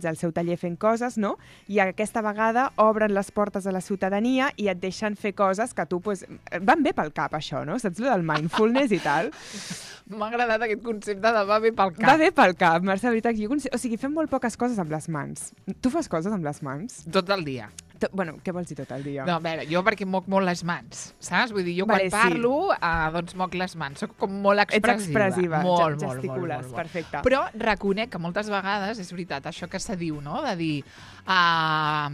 al seu taller fent coses, no? I aquesta vegada obren les portes a la ciutadania i et deixen fer coses que tu, pues, van bé pel cap, això, no? Saps lo del mindfulness i tal? M'ha agradat aquest concepte de va bé pel cap. Va bé pel cap, Mercè, veritat. O sigui, fem molt poques coses amb les mans. Tu fas coses amb les mans? Tot el dia. Bueno, què vols dir tot el dia? No, a veure, jo perquè moc molt les mans, saps? Vull dir, jo quan Vale, sí. parlo, doncs moc les mans. Soc com molt expressiva. Ets expressiva, molt, gesticules, molt. perfecte. Però reconec que moltes vegades, és veritat, això que se diu, no?, de dir,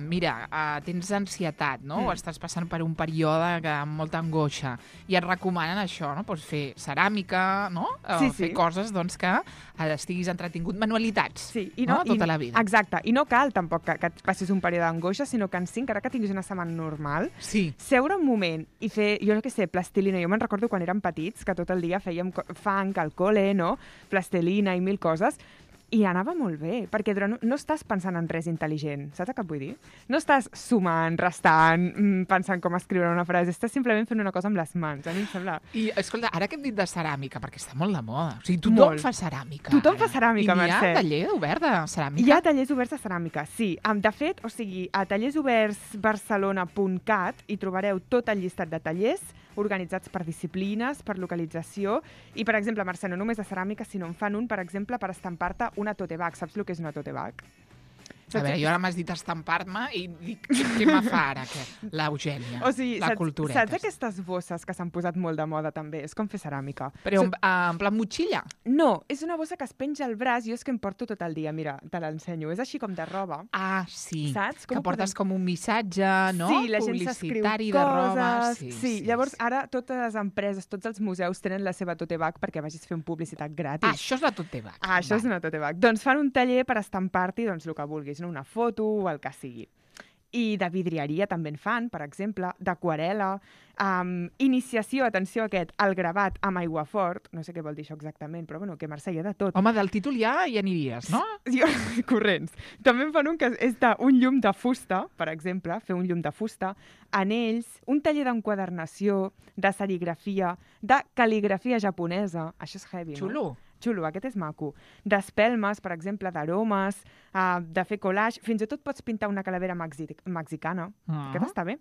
mira, tens ansietat, no?, o estàs passant per un període amb molta angoixa, i et recomanen això, no?, doncs fer ceràmica, no?, fer coses, doncs, que estiguis entretingut, manualitats, no?, tota la vida. Exacte, i no cal tampoc que et passis un període d'angoixa, sinó que encara que tinguis una setmana normal, seure un moment i fer, jo no sé, plastilina. Jo me'n recordo quan érem petits, que tot el dia fèiem fang al col·le, no? Plastilina i mil coses, i anava molt bé, perquè no estàs pensant en res intel·ligent, saps què vull dir? No estàs sumant, restant, pensant com escriure una frase, estàs simplement fent una cosa amb les mans, a mi em sembla. I, escolta, ara que hem dit de ceràmica, perquè està molt de moda, o sigui, tothom fa ceràmica. Tothom fa ceràmica, Mercè. I hi ha taller obert de ceràmica? Hi ha tallers oberts de ceràmica, sí. De fet, o sigui, a tallersobertsbarcelona.cat hi trobareu tot el llistat de tallers organitzats per disciplines, per localització, i, per exemple, Mercè, no només de ceràmica, sinó en fan un, per exemple, per estampar-te una tote bag. Saps el que és una tote bag? A veure, jo ara m'has dit estampar-me i dic, què me fa ara, l'Eugènia, o sigui, la cultureta? Saps aquestes bosses que s'han posat molt de moda també? És com fer ceràmica. Però en plan motxilla? No, és una bossa que es penja al braç, jo és que em porto tot el dia, mira, te l'ensenyo, és així com de roba. Ah, sí, saps? que portes com un missatge, no? Sí, la gent s'escriu coses. Sí, llavors ara totes les empreses, tots els museus tenen la seva tote bag perquè vagis a fer publicitat gratis. Ah, això és la tote bag. Ah, això és una tote bag. Doncs fan un taller per estampar-t'hi doncs, el que vulguis, una foto o el que sigui. I de vidrieria també en fan, per exemple, d'aquarel·la, iniciació, atenció a aquest, al gravat amb aiguafort, no sé què vol dir això exactament, però bueno, que Mercè hi ha de tot. Home, del títol ja hi aniries, no? Corrents. També en fan un que és d'un llum de fusta, per exemple, fer un llum de fusta, anells, un taller d'enquadernació, de serigrafia, de cal·ligrafia japonesa, això és heavy, Xulo. No? Xulo, aquest és maco. D'espelmes, per exemple, d'aromes, de fer collage, fins i tot pots pintar una calavera mexicana, aquest està bé.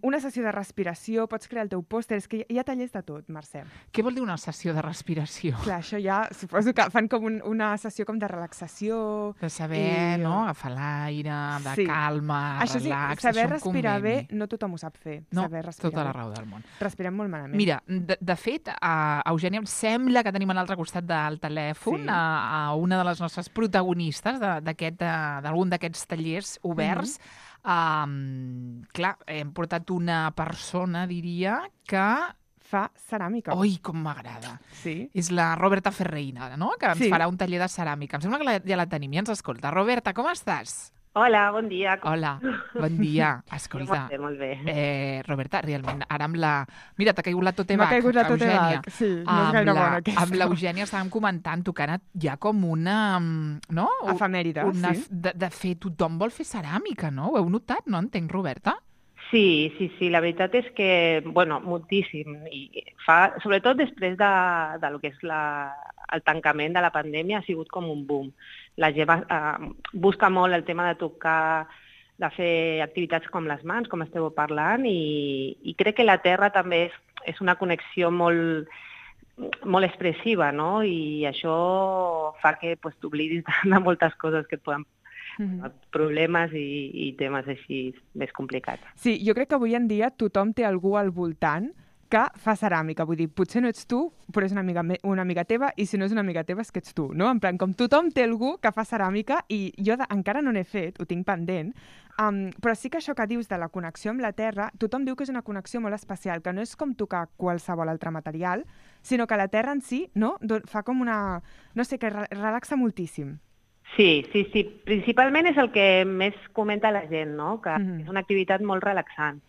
Una sessió de respiració, pots crear el teu pòster, és que hi ha tallers de tot, Mercè. Què vol dir una sessió de respiració? Clar, això ja, suposo que fan com una sessió com de relaxació. De saber, no?, agafar l'aire, de calma, això relax, saber respirar bé, no tothom ho sap fer. No, saber respirar tota la raó del món. Respirem molt malament. Mira, de fet, Eugènia, em sembla que tenim a l'altre costat del telèfon a una de les nostres protagonistes d'algun d'aquests tallers oberts. Clar, hem portat una persona, diria, que fa ceràmica. Oi, com m'agrada. Sí. És la Roberta Ferreira, no?, que ens farà un taller de ceràmica. Em sembla que ja la tenim i ens escolta. Roberta, com estàs? Hola, bon dia. Hola, bon dia. Escolta, molt bé. Roberta, realment, ara amb la... Mira, t'ha caigut la tote bag, M'ha caigut la tote bag, sí, no és gaire bona aquesta. Amb l'Eugènia estàvem comentant, tu que ara hi ha com una... no? Efemèride, sí. De fer, tothom vol fer ceràmica, no? Ho heu notat, no? Entenc, Roberta? Sí, la veritat és que, bueno, moltíssim. I sobretot després de lo que és el tancament de la pandèmia ha sigut com un boom. La gent busca molt el tema de tocar, de fer activitats com les mans, com esteu parlant, i crec que la terra també és una connexió molt expressiva, no? I això fa que t'oblidis de moltes coses que et poden problemes i temes així més complicats. Sí, jo crec que avui en dia tothom té algú al voltant que fa ceràmica. Vull dir, potser no ets tu, però és una amiga teva, i si no és una amiga teva és que ets tu, no? En plan, com tothom té algú que fa ceràmica, i jo encara no n'he fet, ho tinc pendent, però sí que això que dius de la connexió amb la terra, tothom diu que és una connexió molt especial, que no és com tocar qualsevol altre material, sinó que la terra en si, no?, fa com una... no sé, que relaxa moltíssim. Sí. Principalment és el que més comenta la gent, no?, que és una activitat molt relaxant.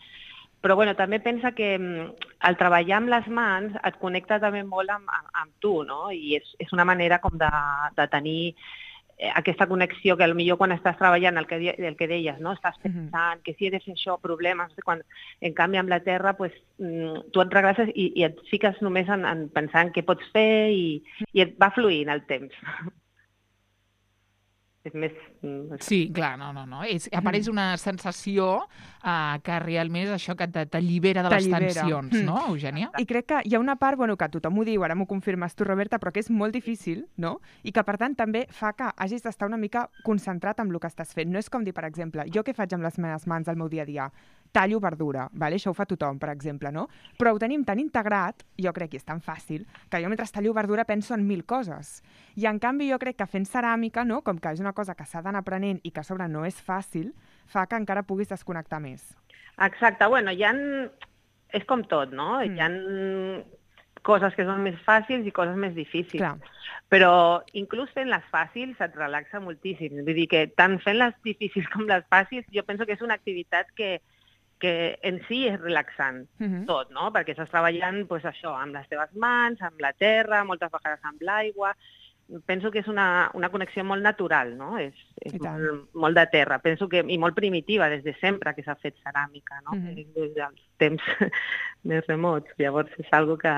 Però bueno, també pensa que el treballar amb les mans et connecta també molt amb tu, no? I és una manera com de tenir aquesta connexió que potser quan estàs treballant, el que deies, no? Estàs pensant que si he de fer això, problemes, en canvi amb la terra tu et regresses i et fiques només en pensar en què pots fer i et va fluint el temps. És més... Sí, clar, no. Apareix una sensació que realment és això que t'allibera de les tensions, no, Eugènia? I crec que hi ha una part, que tothom ho diu, ara m'ho confirmes tu, Roberta, però que és molt difícil, no? I que, per tant, també fa que hagis d'estar una mica concentrat en el que estàs fent. No és com dir, per exemple, jo què faig amb les meves mans al meu dia a dia? Tallo verdura, vale? Això ho fa tothom, per exemple, no? Però ho tenim tan integrat, jo crec que és tan fàcil, que jo mentre tallo verdura penso en 1000 coses. I en canvi jo crec que fent ceràmica, no? Com que és una cosa que s'ha d'anar aprenent i que a sobre no és fàcil, fa que encara puguis desconnectar més. Exacte, és com tot, no? Hi ha coses que són més fàcils i coses més difícils. Clar. Però inclús fent les fàcils et relaxa moltíssim. Vull dir que tant fent les difícils com les fàcils, jo penso que és una activitat que en si és relaxant, tot, no? Perquè estàs treballant això, amb les teves mans, amb la terra, moltes vegades amb l'aigua. Penso que és una connexió molt natural, no? És molt de terra. Penso que, i molt primitiva, des de sempre que s'ha fet ceràmica, no? Des dels temps més remots. Llavors és algo que...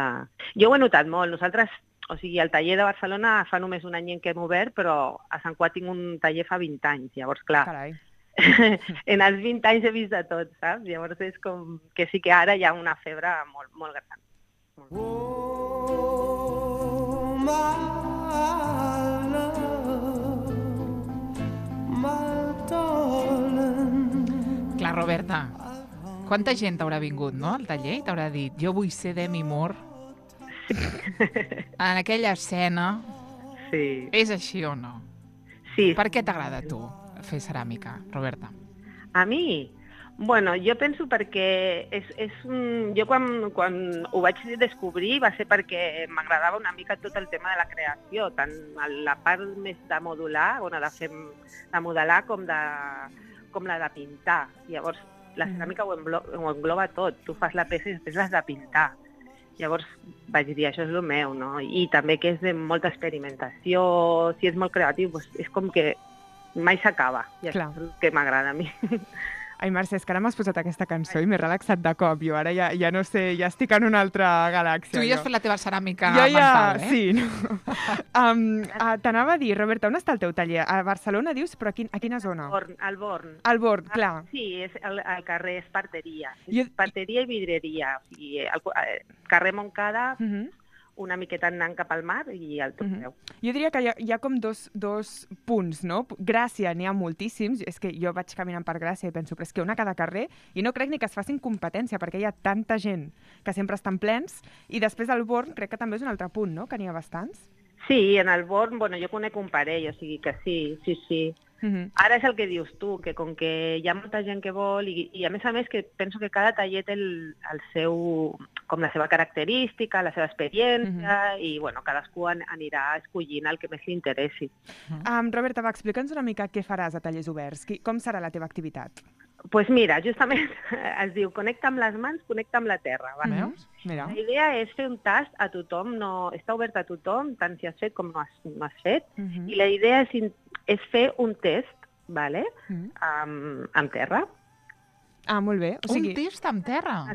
Jo ho he notat molt. Nosaltres, el taller de Barcelona fa només un any que hem obert, però a Sant Cugat tinc un taller fa 20 anys. Llavors, clar, Carai. en els 20 anys he vist de tot, saps? Llavors és com que sí que ara hi ha una febre molt, molt gran. Clar, Roberta, quanta gent t'haurà vingut, no, al taller i t'haurà dit jo vull ser Demi Moore en aquella escena? Sí. És així o no? Sí. Per què t'agrada a tu fer ceràmica, Roberta? A mi? Jo penso perquè jo quan ho vaig descobrir va ser perquè m'agradava una mica tot el tema de la creació, tant la part més de modular, de modelar com la de pintar. Llavors, la ceràmica ho engloba tot. Tu fas la peça i després l'has de pintar. Llavors vaig dir, això és el meu, no? I també que és de molta experimentació, si és molt creatiu, és com que mai s'acaba. I això és el que m'agrada a mi. Ai, Mercè, és que ara m'has posat aquesta cançó i m'he relaxat de cop. Jo ara ja no sé, ja estic en una altra galàxia. Tu ja has fet la teva ceràmica mental, eh? Sí. No? T'anava a dir, Roberta, on està el teu taller? A Barcelona, dius, però a quina zona? Al Born. Al Born, clar. Sí, és al carrer Esparteria. Esparteria i vidreria. O sigui, al carrer Montcada, una miqueta anant cap al mar i al Torneu. Jo diria que hi ha com dos punts, no? Gràcia n'hi ha moltíssims, és que jo vaig caminant per Gràcia i penso, però és que una a cada carrer, i no crec ni que es facin competència, perquè hi ha tanta gent que sempre estan plens, i després al Born crec que també és un altre punt, no?, que n'hi ha bastants. Sí, en el Born, jo conec un parell, o sigui que sí. Ara és el que dius tu, que com que hi ha molta gent que vol i a més que penso que cada taller té la seva característica, la seva experiència i cadascú anirà escollint el que més li interessi. Roberta, explica'ns una mica què faràs a Tallers Oberts, com serà la teva activitat? Doncs mira, justament es diu connecta amb les mans, connecta amb la terra. Veus? Mira. La idea és fer un tast a tothom, està obert a tothom, tant si has fet com no has fet, i la idea és fer un test, vale? Amb terra. Molt bé. Un test amb terra?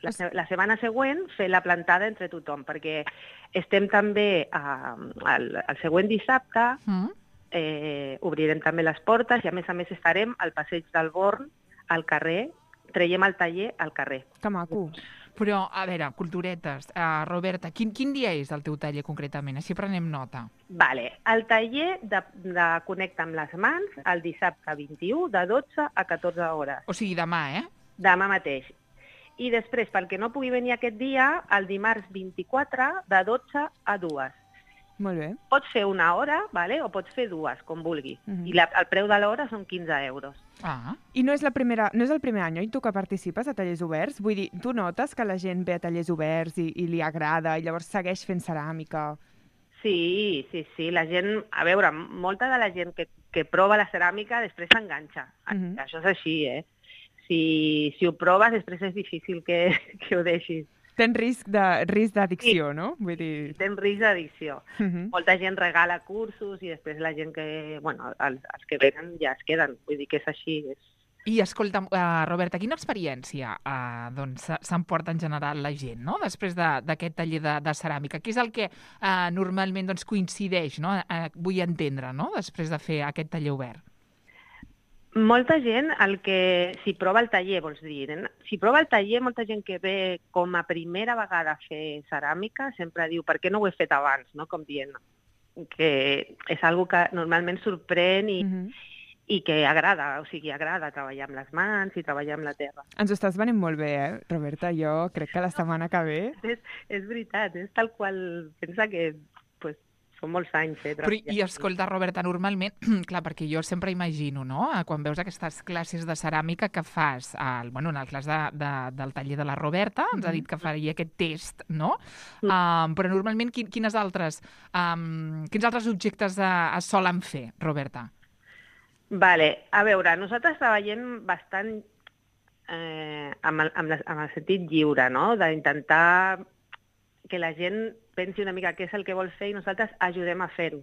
La setmana següent fer la plantada entre tothom, perquè estem també el següent dissabte, obrirem també les portes i a més estarem al passeig del Born, al carrer, traiem el taller al carrer. Que maco. Però, a veure, culturetes, Roberta, quin dia és el teu taller concretament? Així prenem nota. Vale, el taller de Connecta amb les mans el dissabte 21 de 12 a 14 hores. O sigui, demà, Demà mateix. I després, pel que no pugui venir aquest dia, el dimarts 24 de 12 a 2. Molt bé. Pots fer una hora, vale? O pots fer dues, com vulguis. I el preu de l'hora són 15 euros. I no és el primer any, oi, tu que participes a Tallers Oberts? Vull dir, tu notes que la gent ve a Tallers Oberts i li agrada i llavors segueix fent ceràmica? Sí. La gent, a veure, molta de la gent que prova la ceràmica després s'enganxa. Això és així, Si ho proves, després és difícil que ho deixis. Tens risc d'addicció, no? Vull dir... Tens risc d'addicció. Molta gent regala cursos i després la gent que... els que venen ja es queden. Vull dir que és així. I escolta, Roberta, quina experiència s'emporta en general la gent, no? Després d'aquest taller de ceràmica? Què és el que normalment coincideix, no? Vull entendre, no? Després de fer aquest taller obert. Molta gent, si prova el taller, vols dir, si prova el taller, molta gent que ve com a primera vegada a fer ceràmica sempre diu, per què no ho he fet abans, no? Com dient que és una cosa que normalment sorprèn i que agrada, o sigui, agrada treballar amb les mans i treballar amb la terra. Ens ho estàs venint molt bé, Roberta? Jo crec que la setmana que ve... És veritat, és tal qual, pensa que són molts anys. Però, i escolta, Roberta, normalment, clar, perquè jo sempre imagino, no?, quan veus aquestes classes de ceràmica que fas, en el cas del taller de la Roberta, ens ha dit que faria aquest test, no? Però normalment quins altres objectes es solen fer, Roberta? Vale, a veure, nosaltres treballem bastant amb el sentit lliure, no?, d'intentar que la gent pensi una mica què és el que vol fer i nosaltres ajudem a fer-ho.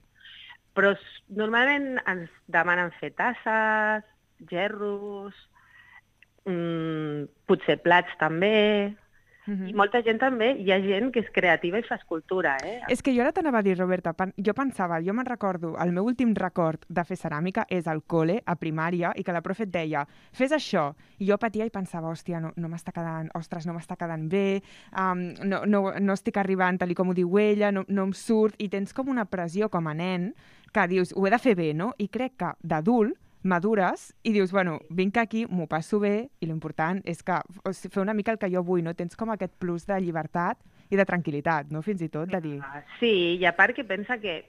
Però normalment ens demanen fer tasses, gerros, potser plats també, i molta gent també, hi ha gent que és creativa i fa escultura, És que jo ara t'anava a dir, Roberta, jo me'n recordo, el meu últim record de fer ceràmica és al col·le, a primària, i que la profe et deia, fes això, i jo patia i pensava, hòstia, no m'està quedant bé, no estic arribant tal com ho diu ella, no em surt, i tens com una pressió com a nen que dius, ho he de fer bé, no? I crec que d'adult madures i dius, bueno, vinc aquí, m'ho passo bé i l'important és que fer una mica el que jo vull, no? Tens com aquest plus de llibertat i de tranquil·litat, no? Fins i tot de dir... Sí, i a part que pensa que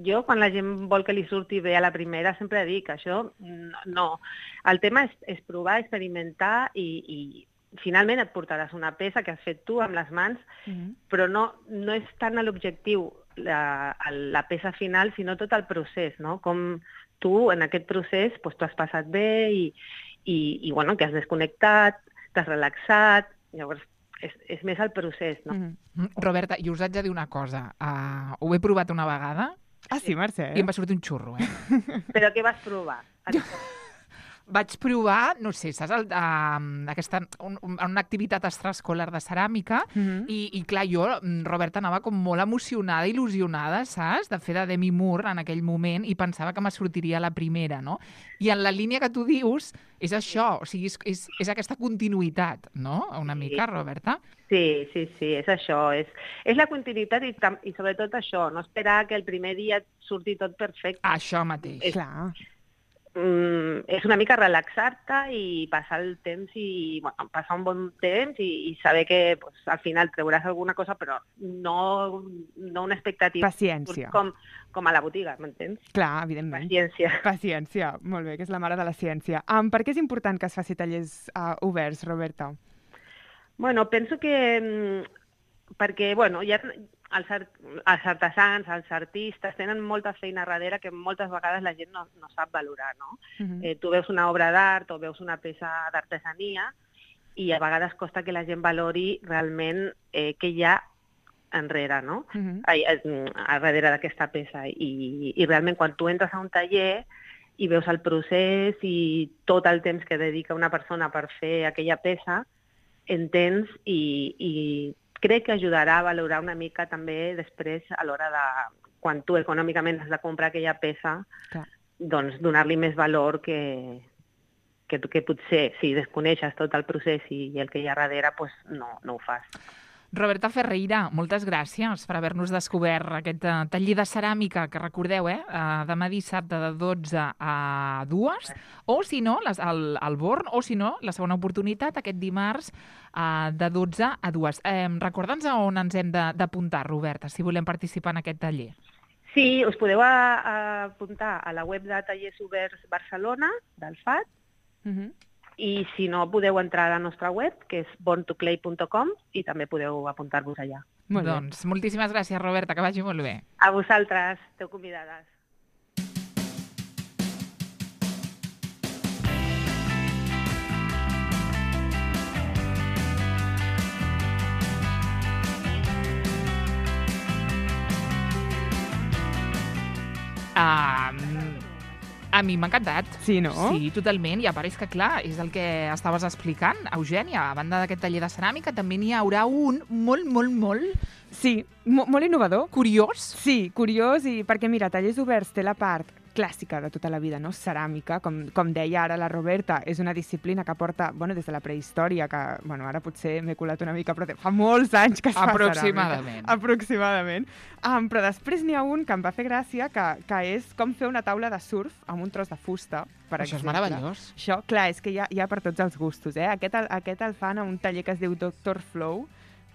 jo, quan la gent vol que li surti bé a la primera, sempre dic, això no. El tema és provar, experimentar i finalment et portaràs una peça que has fet tu amb les mans, però no és tant l'objectiu la peça final, sinó tot el procés, no? Com tu, en aquest procés, tu has passat bé i bueno, que has desconnectat, t'has relaxat, llavors és més el procés, no? Roberta, i us haig de dir una cosa, ho he provat una vegada. Ah, sí, Mercè? I em va sortir un xurro, Però què vas provar? Vaig provar, no sé, saps, una activitat extraescolar de ceràmica i clar, jo, Roberta, anava com molt emocionada, il·lusionada, saps, de fer de Demi Moore en aquell moment i pensava que me sortiria la primera, no? I en la línia que tu dius és això, o sigui, és aquesta continuïtat, no? Una mica, Roberta? Sí, és això. És la continuïtat i sobretot això, no esperar que el primer dia et surti tot perfecte. Això mateix. Clar. És una mica relaxar-te i passar el temps passar un bon temps i saber que al final treuràs alguna cosa, però no una expectativa. Paciència. Com a la botiga, m'entens? Clar, evidentment. Paciència, molt bé, que és la mare de la ciència. Per què és important que es faci tallers oberts, Roberta? Bueno, penso que perquè, hi ha els artesans, els artistes, tenen molta feina darrere que moltes vegades la gent no sap valorar, no? Tu veus una obra d'art o veus una peça d'artesania i a vegades costa que la gent valori realment què hi ha enrere, no? Darrere d'aquesta peça. I realment quan tu entres a un taller i veus el procés i tot el temps que dedica una persona per fer aquella peça, entens i crec que ajudarà a valorar una mica també després a l'hora de, quan tu econòmicament has de comprar aquella peça, doncs donar-li més valor que potser si desconeixes tot el procés i el que hi ha darrere, doncs no ho fas. Roberta Ferreira, moltes gràcies per haver-nos descobert aquest taller de ceràmica que recordeu, demà dissabte de 12 a 2, o si no, al Born, o si no, la segona oportunitat aquest dimarts de 12 a 2. Recorda'ns on ens hem d'apuntar, Roberta, si volem participar en aquest taller. Sí, us podeu apuntar a la web de Tallers Oberts Barcelona, del FAT, i si no, podeu entrar a la nostra web, que és borntoclay.com, i també podeu apuntar-vos allà. Doncs moltíssimes gràcies, Roberta, que vagi molt bé. A vosaltres, esteu convidades. A mi m'ha encantat. Sí, no? Sí, totalment. I a part és que, clar, és el que estaves explicant, Eugènia. A banda d'aquest taller de ceràmica, també n'hi haurà un molt Sí, molt innovador. curiós. Sí, curiós, i perquè, mira, Tallers Oberts té la part clàssica de tota la vida, no? Ceràmica, com deia ara la Roberta, és una disciplina que porta, des de la prehistòria, que, ara potser m'he colat una mica, però fa molts anys que es fa Aproximadament. ceràmica. Aproximadament. Però després n'hi ha un que em va fer gràcia, que és com fer una taula de surf amb un tros de fusta, per Això és exemple. meravellós. Això, clar, és que hi ha per tots els gustos, eh? Aquest el fan a un taller que es diu Dr. Flow,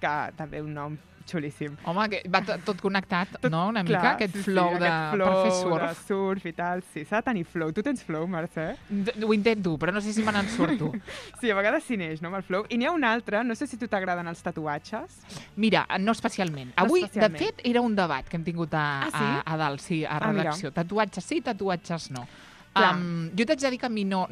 que també un nom xulíssim. Home, que va tot connectat, no? Una mica, Clar, aquest sí, flow sí, de aquest flow per fer de surf. surf i tal, sí, s'ha de tenir flow. Tu tens flow, Mercè? Ho intento, però no sé si me n'en surto. Sí, a vegades s'hi neix, no, amb el flow. I n'hi ha un altre, no sé si a tu t'agraden els tatuatges. Mira, no especialment. No Avui, especialment. de fet, era un debat que hem tingut sí? a dalt, sí, a Ah, mira. redacció. Tatuatges sí, tatuatges no. Clar. Jo t'haig de dir que a mi no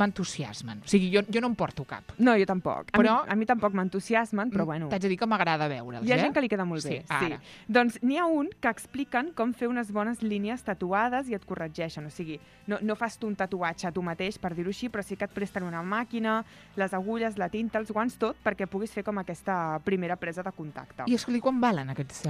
m'entusiasmen. O sigui, jo no en porto cap. No, jo tampoc. Però- A mi tampoc m'entusiasmen, però bueno. T'haig de dir que m'agrada veure'ls, Hi ha gent que li queda molt Sí, bé, ara. Doncs n'hi ha un que expliquen com fer unes bones línies tatuades i et corregeixen. O sigui, no fas tu un tatuatge a tu mateix, per dir-ho així, però sí que et presten una màquina, les agulles, la tinta, els guants, tot, perquè puguis fer com aquesta primera presa de contacte. I escolti, quan valen aquests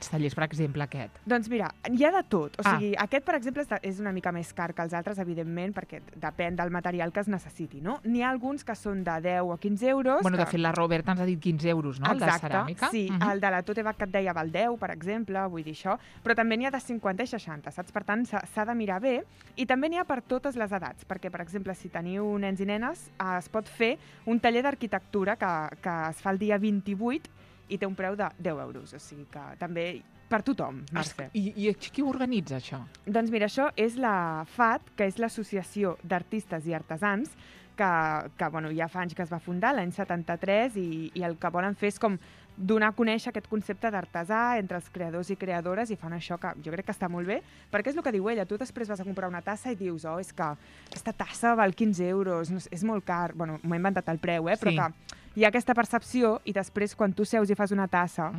tallers, per exemple, aquest? Doncs mira, hi ha de tot. O Ah. sigui, aquest, per exemple, és una mica més car que els altres, evidentment, perquè depèn del material que es necessiti, no? N'hi ha alguns que són de 10 o 15 euros. Bueno, de que... fet, la Roberta ens ha dit 15 euros, no?, el de Exacte, ceràmica. sí. El de la Tote Bag que et deia val 10, per exemple, vull dir això. Però també n'hi ha de 50 i 60, saps? Per tant, s'ha de mirar bé. I també n'hi ha per totes les edats, perquè, per exemple, si teniu nens i nenes, es pot fer un taller d'arquitectura que es fa el dia 28 i té un preu de 10 euros. O sigui que també per tothom, Mercè. I qui ho organitza, això? Doncs mira, això és la FAT, que és l'Associació d'Artistes i Artesans, que ja fa anys que es va fundar, l'any 73, i el que volen fer és com donar a conèixer aquest concepte d'artesà entre els creadors i creadores, i fan això que jo crec que està molt bé, perquè és el que diu ella, tu després vas a comprar una tassa i dius, és que aquesta tassa val 15 euros, no sé, és molt car, bueno, m'ho he inventat el preu, però Sí. que hi ha aquesta percepció, i després quan tu seus i fas una tassa,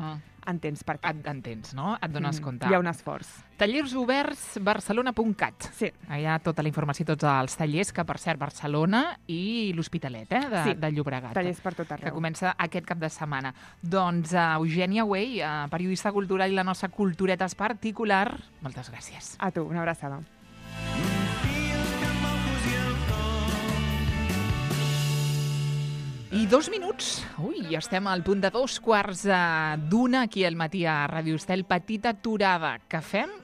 entens per què. Entens, no? Et dones compte. Hi ha un esforç. Tallers Oberts, barcelona.cat. Sí. Hi ha tota la informació, tots els tallers, que per cert, Barcelona i l'Hospitalet, de Llobregat. Tallers per tot Que arreu. comença aquest cap de setmana. Doncs Eugènia Wey, periodista cultural i la nostra cultureta particular, moltes gràcies. A tu, una abraçada. I 2 minuts. Ui, estem al punt de 2 quarts d'una aquí al matí a Ràdio Estel. Petita aturada que fem